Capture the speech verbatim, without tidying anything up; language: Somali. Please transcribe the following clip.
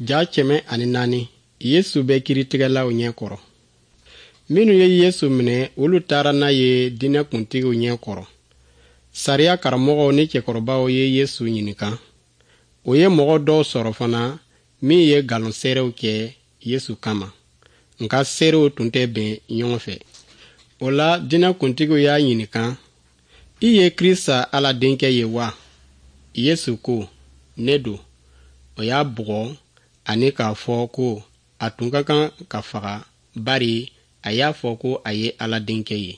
Ja kɛmɛ ani naani Yesu bɛ kiritigɛlaw ɲɛ kɔrɔ. Minnu ye Yesu minɛ, olu taara n'a ye diinɛ kuntigiw ɲɛ kɔrɔ. Sariya karamɔgɔw ni cɛkɔrɔbaw ye Yesu ɲininka. O ye mɔgɔ dɔw sɔrɔ fana min ye nkalon seerew kɛ Yesu kama. Nka seerew tun tɛ bɛn ɲɔgɔn fɛ. O la diinɛ kuntigiw y'a ɲininka, i ye Krista Ala denkɛ ye wa? Yesu ko, ne don. O y'a bugɔ ani k'a fɔ ko a tun ka kan ka faga bari a y'a fɔ ko a ye Ala denkɛ ye.